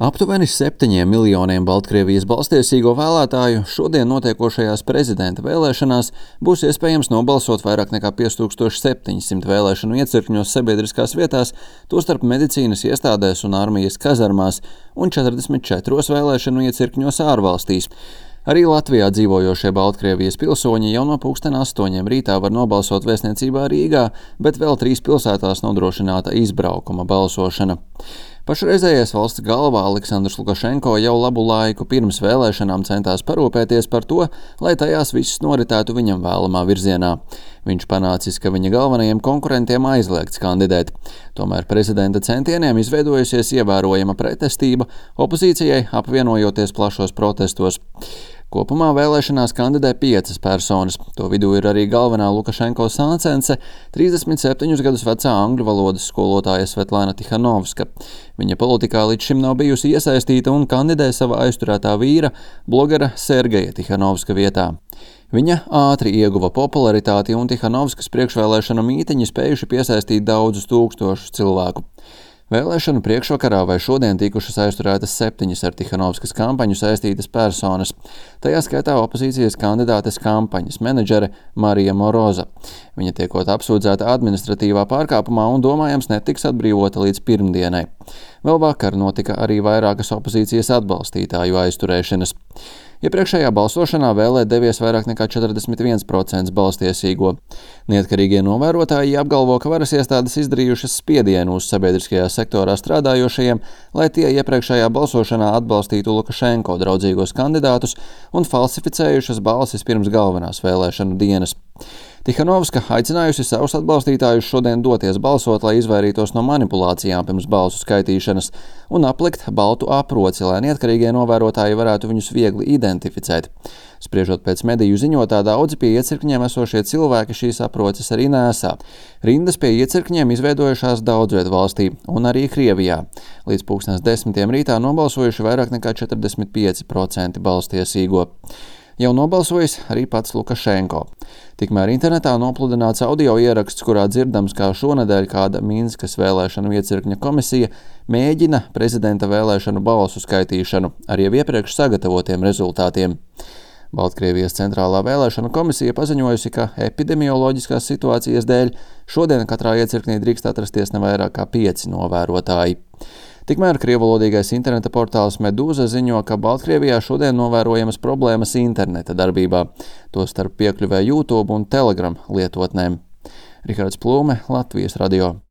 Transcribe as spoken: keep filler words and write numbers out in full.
Aptuveni septiņiem miljoniem Baltkrievijas balstiesīgo vēlētāju šodien notiekošajās prezidenta vēlēšanās būs iespējams nobalsot vairāk nekā pieci tūkstoši septiņi simti vēlēšanu iecirkņos sabiedriskās vietās, tostarp medicīnas iestādēs un armijas kazarmās un četrdesmit četros vēlēšanu iecirkņos ārvalstīs. Arī Latvijā dzīvojošie Baltkrievijas pilsoņi jau no pulksten astoņiem rītā var nobalsot vēstniecībā Rīgā, bet vēl trīs pilsētās nodrošināta izbraukuma balsošana. Pašreizējais valsts galva Aleksandrs Lukašenko jau labu laiku pirms vēlēšanām centās parūpēties par to, lai tajās viss noritētu viņam vēlamā virzienā. Viņš panācis, ka viņa galvenajiem konkurentiem aizliegts kandidēt. Tomēr prezidenta centieniem izveidojusies ievērojama pretestība, opozīcijai apvienojoties plašos protestos. Kopumā vēlēšanās kandidē piecas personas. To vidū ir arī galvenā Lukašenko sācence, trīsdesmit septiņus gadus vecā angļu valodas skolotāja Svetlana Tihanovska. Viņa politikā līdz šim nav bijusi iesaistīta un kandidē sava aizturētā vīra, blogera Sergeja Tihanovska vietā. Viņa ātri ieguva popularitāti un Tihanovskas priekšvēlēšanu mītiņi spējuši piesaistīt daudzus tūkstošus cilvēku. Vēlēšanu priekšvakarā vai šodien tikušas aizturētas septiņas ar Tihanovskas kampaņu saistītas personas. Tajā skaitā opozīcijas kandidātes kampaņas menedžere Marija Moroza. Viņa tiekot apsūdzēta administratīvā pārkāpumā un domājams netiks atbrīvota līdz pirmdienai. Vēl vakar notika arī vairākas opozīcijas atbalstītāju aizturēšanas. Iepriekšējā balsošanā vēlēt devies vairāk nekā četrdesmit viens procents balstiesīgo. Neatkarīgie novērotāji apgalvo, ka varas iestādes izdarījušas spiedienu uz sabiedriskajā sektorā strādājošajiem, lai tie iepriekšējā balsošanā atbalstītu Lukašenko draudzīgos kandidātus un falsificējušas balsis pirms galvenās vēlēšanu dienas. Tihanovska aicinājusi savus atbalstītājus šodien doties balsot, lai izvairītos no manipulācijām pirms balsu skaitīšanas un aplikt baltu aproci, lai neatkarīgie novērotāji varētu viņus viegli identificēt. Spriežot pēc mediju ziņotā, daudzi pie iecirkņiem esošie cilvēki šīs aproces arī nēsā. Rindas pie iecirkņiem izveidojušās daudzviet valstī un arī Krievijā. Līdz pulkstens desmitiem rītā nobalsojuši vairāk nekā četrdesmit pieci procenti balstiesīgo. Jau nobalsojis arī pats Lukašenko. Tikmēr internetā nopludināts audio ieraksts, kurā dzirdams, kā šonedēļ kāda Minskas vēlēšanu iecirkņa komisija mēģina prezidenta vēlēšanu balsu skaitīšanu ar jau iepriekš sagatavotiem rezultātiem. Baltkrievijas centrālā vēlēšanu komisija paziņojusi, ka epidemioloģiskās situācijas dēļ šodien katrā iecirknī drīkst atrasties ne vairāk kā pieci novērotāji. Tikmēr krievvalodīgais interneta portāls Medūza ziņo, ka Baltkrievijā šodien novērojamas problēmas interneta darbībā, tostarp piekļuvē YouTube un Telegram lietotnēm. Rihards Plūme, Latvijas radio.